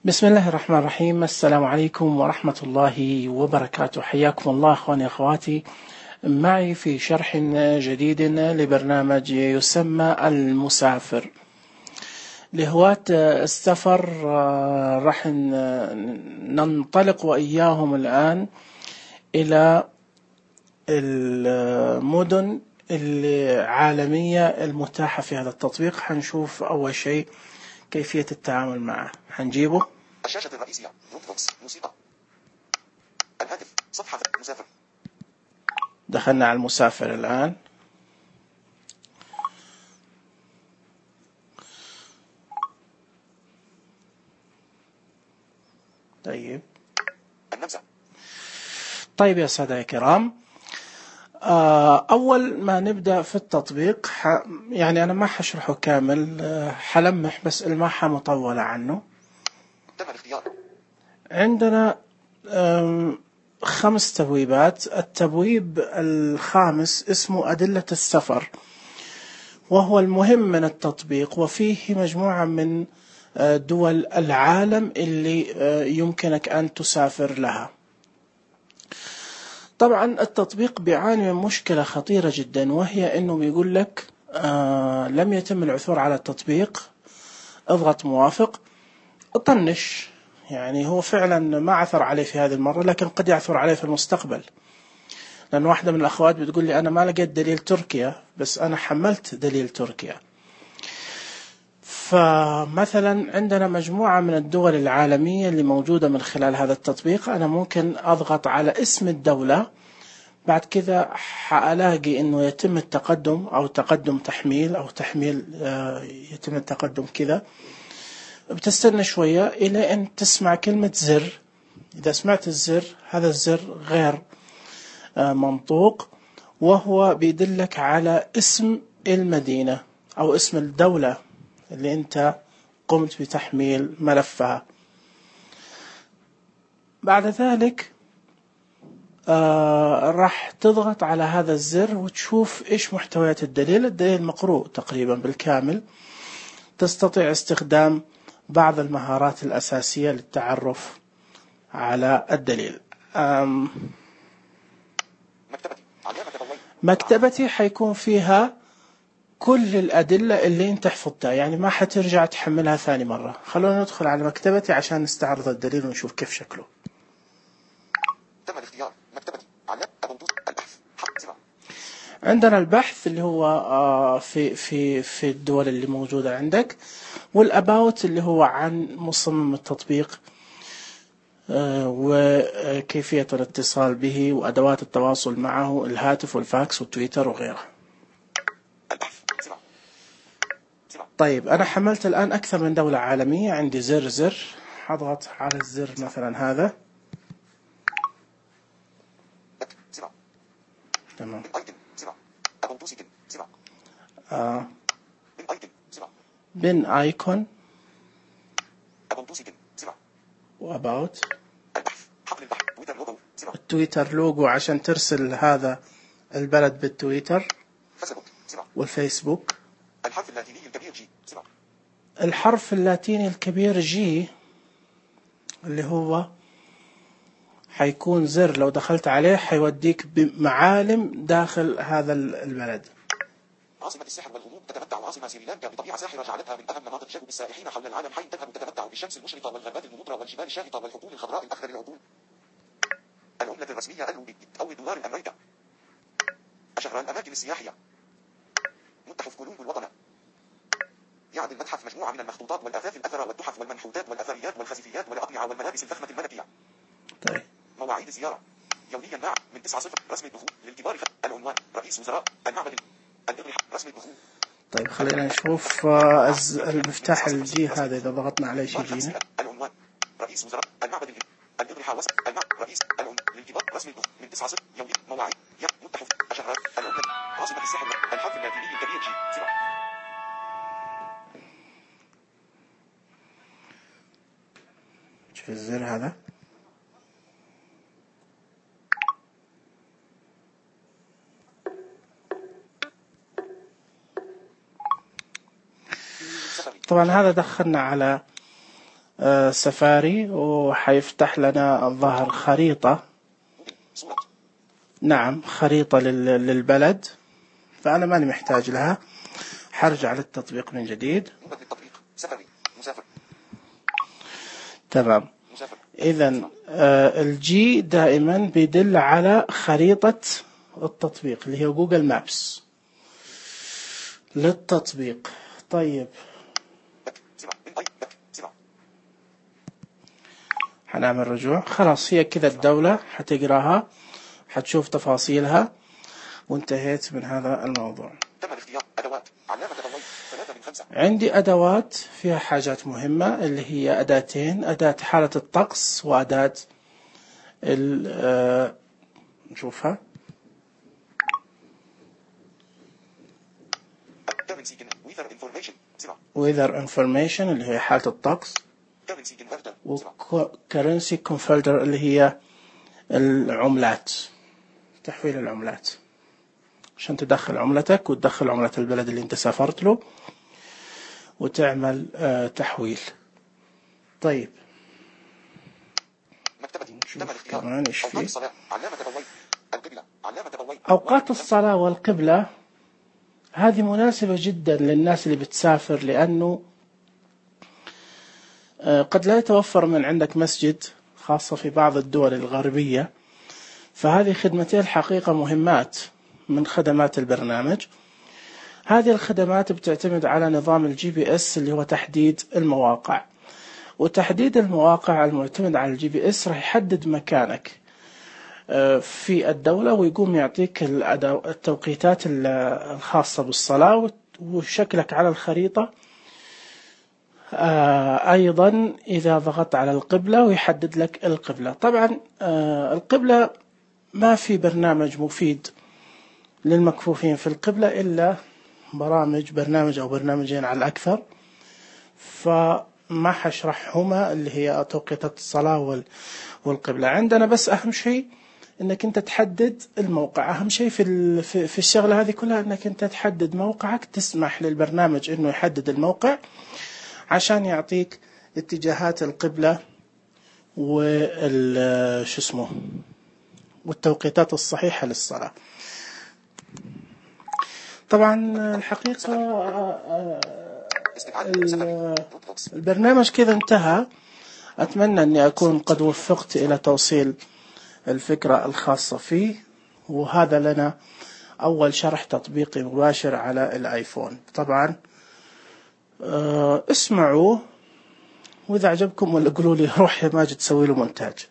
بسم الله الرحمن الرحيم. السلام عليكم ورحمة الله وبركاته. حياكم الله أخواني أخواتي معي في شرح جديد لبرنامج يسمى المسافر. لهواة السفر راح ننطلق وإياهم الآن إلى المدن العالمية المتاحة في هذا التطبيق. حنشوف أول شيء كيفية التعامل معه. حنجيبه الشاشة الرئيسية، دروبوكس، موسيقى، الهاتف، صفحة مسافر. دخلنا على المسافر الآن. طيب طيب يا سادة الكرام، أول ما نبدأ في التطبيق يعني أنا ما حشرحه كامل، حلمح بس الماحة مطولة عنه. تم الاختيار. عندنا 5 تبويبات. التبويب الخامس اسمه أدلة السفر، وهو المهم من التطبيق، وفيه مجموعة من دول العالم اللي يمكنك أن تسافر لها. طبعا التطبيق بيعاني من مشكلة خطيرة جدا، وهي أنه بيقول لك لم يتم العثور على التطبيق، اضغط موافق، اطنش. يعني هو فعلا ما عثر عليه في هذه المرة، لكن قد يعثر عليه في المستقبل. لأن واحدة من الأخوات بتقول لي أنا ما لقيت دليل تركيا، بس أنا حملت دليل تركيا. فمثلا عندنا مجموعة من الدول العالمية اللي موجودة من خلال هذا التطبيق. أنا ممكن أضغط على اسم الدولة، بعد كذا حألاقي إنه يتم التقدم أو تقدم تحميل أو تحميل يتم التقدم كذا. بتستنى شوية إلى أن تسمع كلمة زر. إذا سمعت الزر، هذا الزر غير منطوق، وهو بيدلك على اسم المدينة أو اسم الدولة اللي أنت قمت بتحميل ملفها. بعد ذلك راح تضغط على هذا الزر وتشوف إيش محتويات الدليل. الدليل مقروء تقريبا بالكامل. تستطيع استخدام بعض المهارات الأساسية للتعرف على الدليل. مكتبتي حيكون فيها كل الأدلة اللي انت حفظتها، يعني ما حترجع تحملها ثاني مرة. خلونا ندخل على مكتبتي عشان نستعرض الدليل ونشوف كيف شكله. تم الاختيار. مكتبتي البحث. عندنا البحث اللي هو في الدول اللي موجودة عندك، والأباوت اللي هو عن مصمم التطبيق وكيفية الاتصال به وأدوات التواصل معه، الهاتف والفاكس والتويتر وغيره. طيب أنا حملت الآن أكثر من دولة عالمية. عندي زر حضغط على الزر مثلا هذا. تمام. بن آيكون وأباوت. التويتر لوجو عشان ترسل هذا البلد بالتويتر والفيسبوك. الحرف اللاتيني الكبير جي. الحرف اللاتيني الكبير جي اللي هو حيكون زر، لو دخلت عليه حيوديك بمعالم داخل هذا البلد. عاصمة السحر والغموض. تتمتع عاصمة سريلانكا بطبيعة ساحرة جعلتها من أهم مناطق جذب السائحين حول العالم، حيث تذهب تتمتع بالشمس المشرقة والغابات الممطرة والجبال الشاهقة والحقول الخضراء الأخضر العطول. العملة الرسمية الروبيت أو دولار الأمريكا. أشهر الأماكن السياحية. متحف كولومبو الوطني. يعد المتحف مجموعة من المخطوطات والآثاث الأثرة والتحف والمنحوتات والأثريات والخزفيات والأقنعة والملابس الفخمة الملكية. طيب. مواعيد الزيارة يوميا من 9:00 رسم الدخول للكبار. العنوان رئيس وزراء المعبد الأضرحة رسم الدخول. طيب خلينا نشوف المفتاح الجي هذا إذا ضغطنا عليه شيء يجينا. العنوان رئيس وزراء المعبد الأضرحة رئيس العنوان للكبار رسم الدخول من 9:00 يوميا. مواعيد متحف أشهر العملة عاصمة السحر. الحرف اللاتيني الكبير جي. شوف الزر هذا. طبعا هذا دخلنا على سفاري، وحيفتح لنا الظاهر خريطة. صورة. نعم، خريطة للبلد، فأنا ماني محتاج لها. حرجع للتطبيق من جديد. نوبة للتطبيق. سفري. مسافر. تمام. مسافر. إذن الجي دائما بيدل على خريطة التطبيق اللي هي جوجل مابس للتطبيق. طيب، حنعمل رجوع. خلاص، هي كذا الدولة، حتقراها، حتشوف تفاصيلها، وانتهيت من هذا الموضوع. تم الاختيار. أدوات. علامة تضوي. 3 من 5. عندي أدوات فيها حاجات مهمة، اللي هي أداتين: أداة حالة الطقس وأداة نشوفها. weather information اللي هي حالة الطقس، وcurrency converter اللي هي العملات، تحويل العملات، عشان تدخل عملتك وتدخل عملة البلد اللي انت سافرت له وتعمل تحويل. طيب، نشوف كمان ايش فيه. أوقات الصلاة والقبلة هذه مناسبة جدا للناس اللي بتسافر، لأنه قد لا يتوفر من عندك مسجد، خاصة في بعض الدول الغربية، فهذه خدمتين الحقيقة مهمات من خدمات البرنامج. هذه الخدمات بتعتمد على نظام الجي بي اس اللي هو تحديد المواقع، وتحديد المواقع المعتمد على الجي بي اس راح يحدد مكانك في الدولة، ويقوم يعطيك التوقيتات الخاصة بالصلاة وشكلك على الخريطة. أيضا إذا ضغطت على القبلة ويحدد لك القبلة. طبعا القبلة ما في برنامج مفيد للمكفوفين في القبلة إلا برنامج أو برنامجين على الأكثر، فما حشرحهما اللي هي توقيتات الصلاة والقبلة. عندنا بس أهم شيء إنك أنت تحدد الموقع. أهم شيء في الشغلة هذه كلها إنك أنت تحدد موقعك، تسمح للبرنامج إنه يحدد الموقع عشان يعطيك اتجاهات القبلة والتوقيتات الصحيحة للصلاة. طبعا الحقيقة البرنامج كذا انتهى. أتمنى أني أكون قد وفقت إلى توصيل الفكرة الخاصة فيه، وهذا لنا أول شرح تطبيقي مباشر على الآيفون. طبعا اسمعوا، وإذا عجبكم ولا قولوا لي روح يا ماجد سوي له مونتاج.